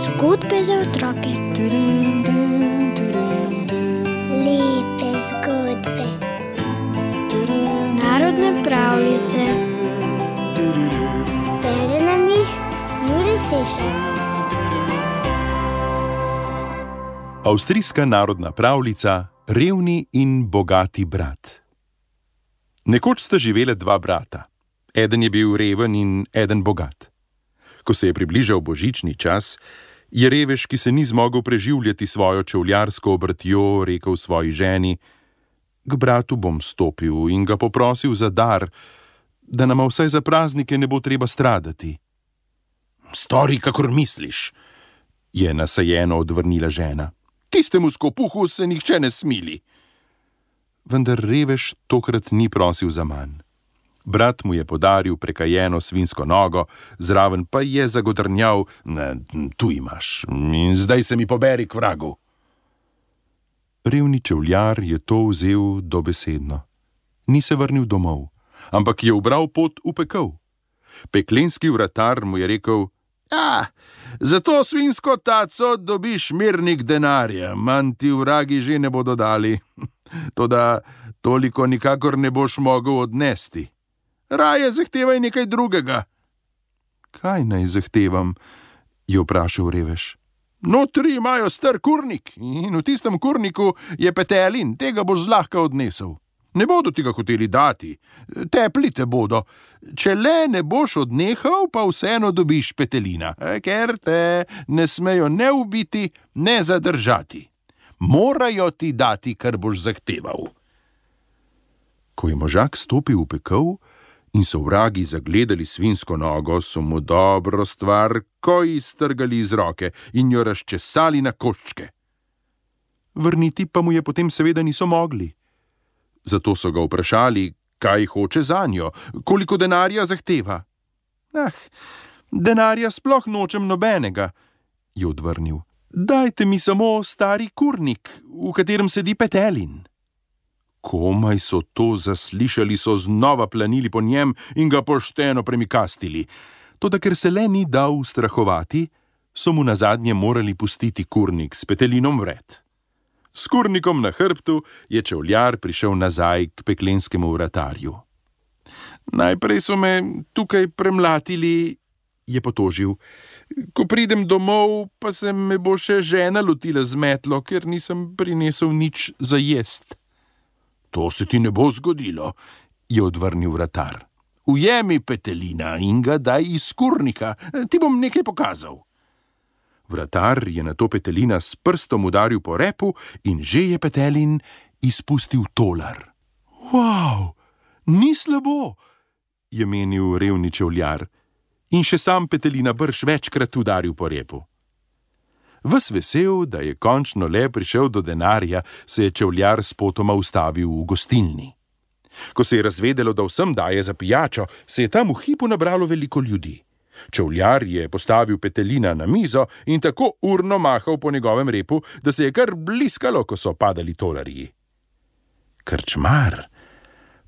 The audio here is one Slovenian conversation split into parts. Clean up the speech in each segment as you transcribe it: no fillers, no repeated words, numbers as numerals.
Zgodbe za otroke. Lepe zgodbe. Narodne pravljice. Bere nam jih Jure Sešar. Avstrijska narodna pravljica Revni in bogati brat. Nekoč sta živela dva brata. Eden je bil reven in eden bogat. Ko se je približal božični čas, je revež, ki se ni zmogel preživljati svojo čevljarsko obratjo, rekel svoji ženi: "K bratu bom stopil in ga poprosil za dar, da nama vsaj za praznike ne bo treba stradati." "Stori, kakor misliš," je nasajeno odvrnila žena. "Tistemu skopuhu se nihče ne smili." Vendar revež tokrat ni prosil za manj. Brat mu je podaril prekajeno svinjsko nogo, zraven pa je zagodrnjal: "Tu imaš, in zdaj se mi poberi k vragu." Revni čevljar je to vzel dobesedno. Ni se vrnil domov, ampak je ubral pot v pekel. Peklenski vratar mu je rekel: "Za to svinjsko taco dobiš mirnik denarja, manj ti vragi že ne bodo dali. Toda toliko nikakor ne boš mogel odnesti. Raje zahtevaj nekaj drugega." "Kaj naj zahtevam?" je vprašal revež. "Notri imajo star kurnik in v tistem kurniku je petelin, tega boš zlahka odnesel. Ne bodo ti ga hoteli dati, tepli te bodo. Če le ne boš odnehal, pa vseeno dobiš petelina, ker te ne smejo ne ubiti, ne zadržati. Morajo ti dati, kar boš zahteval." Ko je možak stopil v pekel in so vragi zagledali svinjsko nogo, so mu dobro stvar ko iztrgali iz roke in jo razčesali na koščke. Vrniti pa mu je potem seveda niso mogli. Zato so ga vprašali, kaj hoče zanjo, koliko denarja zahteva. "Denarja sploh nočem nobenega," je odvrnil. "Dajte mi samo stari kurnik, v katerem sedi petelin." Komaj so to zaslišali, so znova planili po njem in ga pošteno premikastili. Toda ker se le ni dal ustrahovati, so mu nazadnje morali pustiti kurnik s petelinom vred. S kurnikom na hrbtu je čevljar prišel nazaj k peklenskemu vratarju. "Najprej so me tukaj premlatili," je potožil. "Ko pridem domov, pa se me bo še žena lotila z metlo, ker nisem prinesel nič za jest." "To se ti ne bo zgodilo," je odvrnil vratar. "Ujemi petelina in ga daj iz kurnika, ti bom nekaj pokazal." Vratar je nato petelina s prstom udaril po repu in že je petelin izpustil tolar. "Wow, ni slabo," je menil revni čevljar in še sam petelina brž večkrat udaril po repu. Ves vesel, da je končno le prišel do denarja, se je čevljar spotoma ustavil v gostilni. Ko se je razvedelo, da vsem daje za pijačo, se je tam v hipu nabralo veliko ljudi. Čevljar je postavil petelina na mizo in tako urno mahal po njegovem repu, da se je kar bliskalo, ko so padali tolarji. Krčmar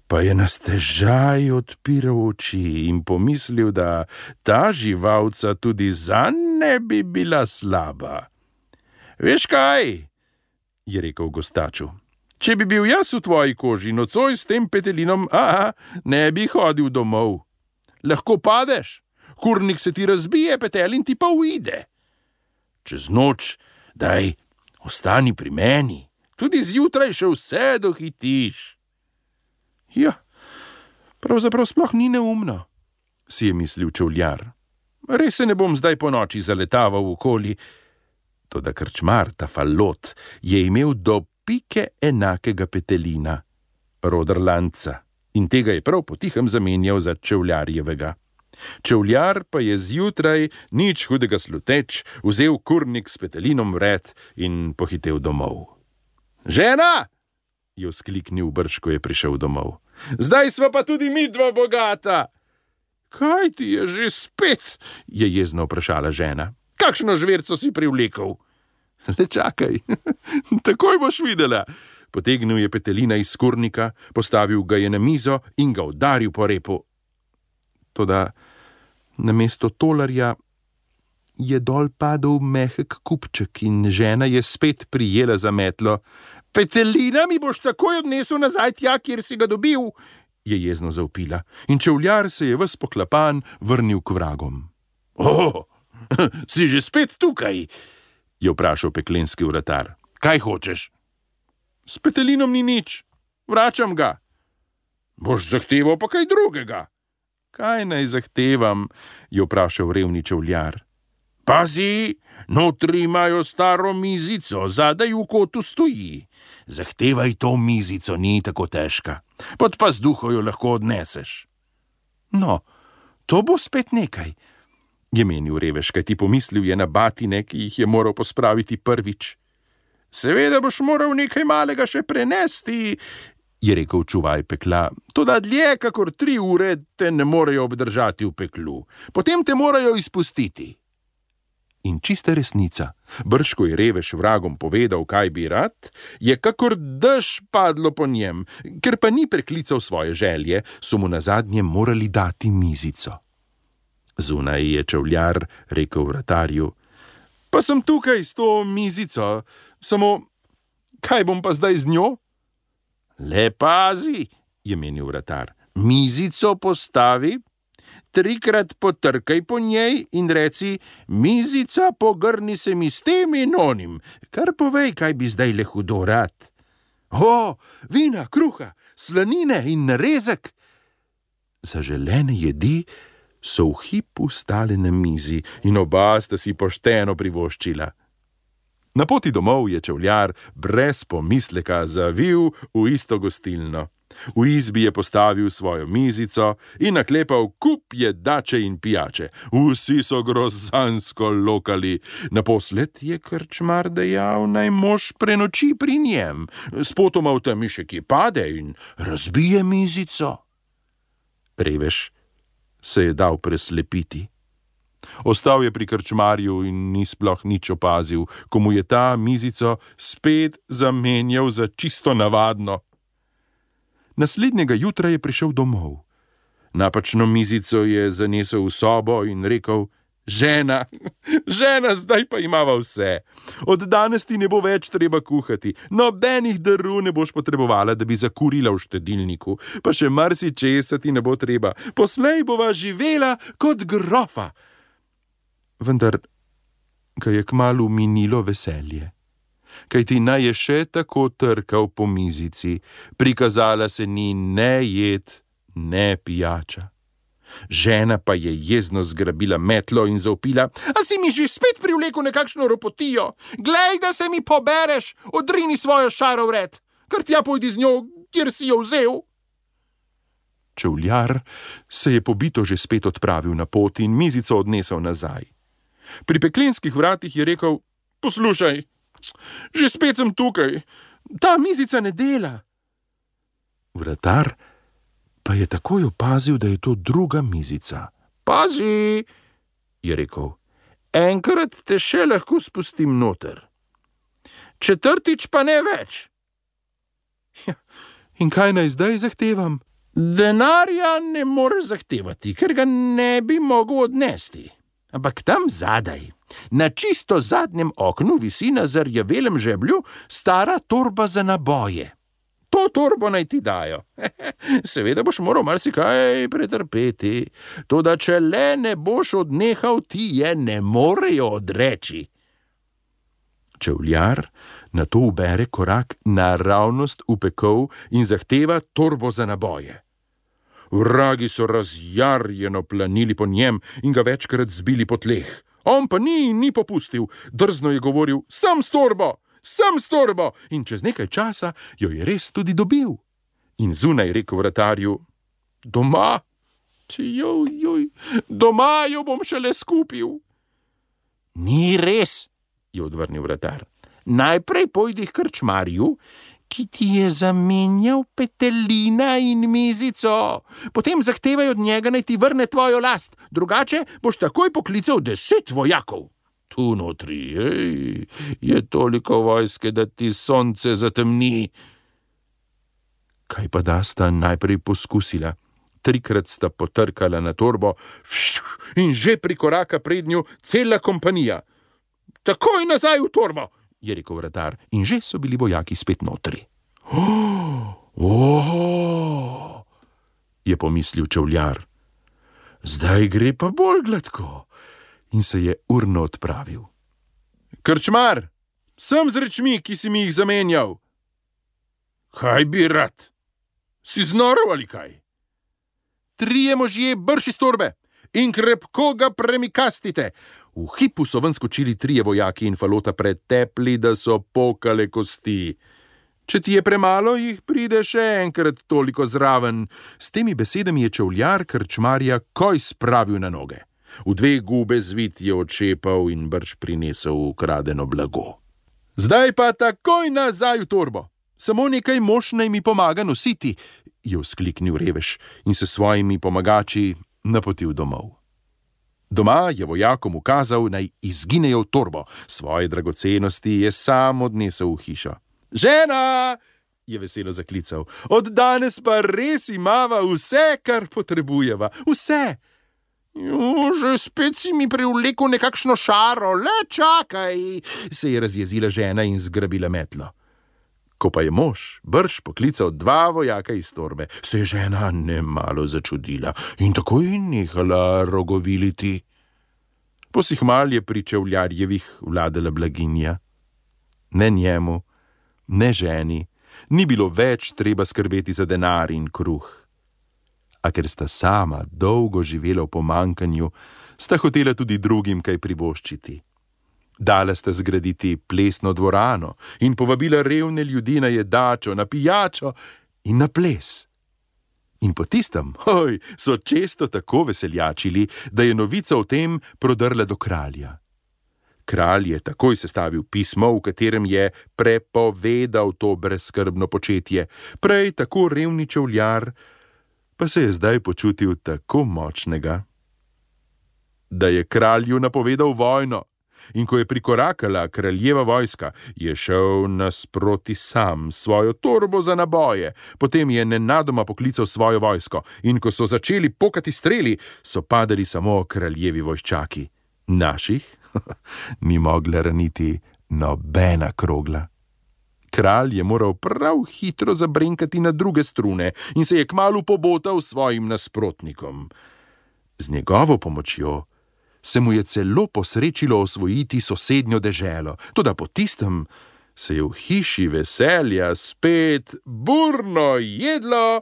pa je na stežaj odpiral oči in pomislil, da ta živalca tudi zanj ne bi bila slaba. "Veš kaj?" je rekel gostaču. "Če bi bil jaz v tvoji koži, nocoj s tem petelinom, ne bi hodil domov. Lahko padeš, kurnik se ti razbije, petelin ti pa uide. Čez noč, daj, ostani pri meni, tudi zjutraj še vse dohitiš." "Ja, pravzaprav sploh ni neumno," si je mislil čevljar. "Res se ne bom zdaj po noči zaletaval okoli." Toda krčmar, ta falot, je imel do pike enakega petelina, roderlanca, in tega je prav potihem zamenjal za čevljarjevega. Čevljar pa je zjutraj, nič hudega sluteč, vzel kurnik s petelinom vred in pohitel domov. "Žena!" je vzkliknil brž, ko je prišel domov. "Zdaj sva pa tudi midva bogata." "Kaj ti je že spet?" je jezno vprašala žena. "Kakšno žverco si privlekel?" "Le čakaj, takoj boš videla." Potegnil je petelina iz kurnika, postavil ga je na mizo in ga udaril po repu. Toda namesto tolarja je dol padel mehek kupček in žena je spet prijela za metlo. Petelina mi boš takoj odnesel nazaj tja, kjer si ga dobil, je jezno zavpila, in čevljar se je ves poklapan vrnil k vragom. Si že spet tukaj? Je vprašal peklenski vratar. Kaj hočeš? S petelinom ni nič, vračam ga. Boš zahteval pa kaj drugega? Kaj naj zahtevam? Je vprašal revni čevljar. Pazi, notri imajo staro mizico, zadaj v kotu stoji. Zahtevaj to mizico, ni tako težka. Pod pazduho jo lahko odneseš. No, to bo spet nekaj, je menil revež, kajti pomislil je na batine, ki jih je moral pospraviti prvič. Seveda boš moral nekaj malega še prenesti, je rekel čuvaj pekla, toda dlje kakor 3 ure te ne morejo obdržati v peklu, potem te morajo izpustiti. In čista resnica, brž ko je revež vragom povedal, kaj bi rad, je kakor dež padlo po njem, ker pa ni preklical svoje želje, so mu nazadnje morali dati mizico. Zunaj je čevljar rekel vratarju, pa sem tukaj s to mizico, samo kaj bom pa zdaj z njo? Le pazi, je menil vratar, mizico postavi, 3-krat potrkaj po njej in reci, mizica, pogrni se mi s tem in onim, kar povej, kaj bi zdaj le hudo rad. Vina, kruha, slanine in narezek. Zaželene jedi so v hipu stale na mizi in oba sta si pošteno privoščila. Na poti domov je čevljar brez pomisleka zavil v isto gostilno. V izbi je postavil svojo mizico in naklepal kup jedače in pijače. Vsi so grozansko lokali. Naposled je krčmar dejal, naj mož prenoči pri njem. Spotoma v temi še kje pade in razbije mizico. Revež se je dal preslepiti. Ostal je pri krčmarju in ni sploh nič opazil, ko mu je ta mizico spet zamenjal za čisto navadno. Naslednjega jutra je prišel domov. Napačno mizico je zanesel v sobo in rekel, žena, zdaj pa imava vse. Od danes ti ne bo več treba kuhati, nobenih darov ne boš potrebovala, da bi zakurila v štedilniku, pa še marsičesa ti ne bo treba, poslej bova živela kot grofa. Vendar ga je kmalu minilo veselje. Kajti naj je še tako trkal po mizici, prikazala se ni ne jed, ne pijača. Žena pa je jezno zgrabila metlo in zavpila, a si mi že spet privlekel nekakšno ropotijo? Glej, da se mi pobereš, odrini svojo šaro vred, kar tja pojdi z njo, kjer si jo vzel. Čevljar se je pobito že spet odpravil na pot in mizico odnesel nazaj. Pri peklenskih vratih je rekel, poslušaj, že spet sem tukaj, ta mizica ne dela. Vratar pa je takoj opazil, da je to druga mizica. Pazi, je rekel, enkrat te še lahko spustim noter. 4. pa ne več. In kaj naj zdaj zahtevam? Denarja ne moreš zahtevati, ker ga ne bi mogel odnesti. Ampak tam zadaj, na čisto zadnjem oknu visi na zarjavelem žeblju stara torba za naboje. To torbo naj ti dajo. Seveda boš moral marsikaj pretrpeti, toda če le ne boš odnehal, ti je ne morejo odreči. Čevljar nato ubere korak naravnost v pekel in zahteva torbo za naboje. Vragi so razjarjeno planili po njem in ga večkrat zbili po tleh. On pa ni popustil, drzno je govoril, sem s torbo, in čez nekaj časa jo je res tudi dobil. In zunaj rekel vratarju, doma jo bom šele skupil. Ni res, je odvrnil vratar. Najprej pojdi k krčmarju, ki ti je zamenjal petelina in mizico. Potem zahtevaj od njega, naj ti vrne tvojo last, drugače boš takoj poklical 10 vojakov. Tu notri, je toliko vojske, da ti sonce zatemni. Kaj pa da sta najprej poskusila? 3-krat sta potrkala na torbo in že prikoraka pred njo cela kompanija. Takoj nazaj v torbo, je rekel vratar, in že so bili vojaki spet notri. Je pomislil čevljar. Zdaj gre pa bolj gladko, in se je urno odpravil. Krčmar, sem z rečmi, ki si mi jih zamenjal. Kaj bi rad? Si znorel ali kaj? 3 možje brž iz torbe in krepko ga premikastite. V hipu so ven skočili 3 vojaki in falota pretepli, da so pokale kosti. Če ti je premalo, jih pride še enkrat toliko zraven. S temi besedami je čevljar krčmarja koj spravil na noge. V 2 gube zvit je odšepal in brž prinesel ukradeno blago. Zdaj pa takoj nazaj v torbo. Samo nekaj mož naj mi pomaga nositi, je vzkliknil revež in se svojimi pomagači napotil domov. Doma je vojakom ukazal, naj izginejo v torbo. Svoje dragocenosti je sam odnesel v hišo. Žena, je veselo zaklical, od danes pa res imava vse, kar potrebujeva. Vse. Že spet si mi privlekel nekakšno šaro, le čakaj, se je razjezila žena in zgrabila metlo. Ko pa je mož brž poklical 2 vojaka iz torbe, se je žena nemalo začudila in takoj nehala rogoviliti. Posihmal je pri čevljarjevih vladala blaginja. Ne njemu, ne ženi, ni bilo več treba skrbeti za denar in kruh. A ker sta sama dolgo živela v pomanjkanju, sta hotela tudi drugim kaj privoščiti. Dala sta zgraditi plesno dvorano in povabila revne ljudi na jedačo, na pijačo in na ples. In po tistem, so često tako veseljačili, da je novica o tem prodrla do kralja. Kralj je takoj sestavil pismo, v katerem je prepovedal to brezskrbno početje. Prej tako revni čevljar, pa se je zdaj počutil tako močnega, da je kralju napovedal vojno. In ko je prikorakala kraljeva vojska, je šel nasproti sam svojo torbo za naboje. Potem je nenadoma poklical svojo vojsko in ko so začeli pokati streli, so padali samo kraljevi vojščaki. Naših ni mogla raniti nobena krogla. Kralj je moral prav hitro zabrenkati na druge strune in se je kmalu pobotal svojim nasprotnikom. Z njegovo pomočjo se mu je celo posrečilo osvojiti sosednjo deželo, toda po tistem se je v hiši veselja spet burno jedlo,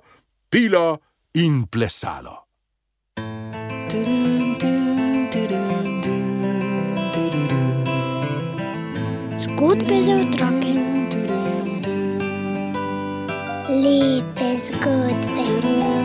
pilo in plesalo. Zgodbe za otroke. Lepe zgodbe.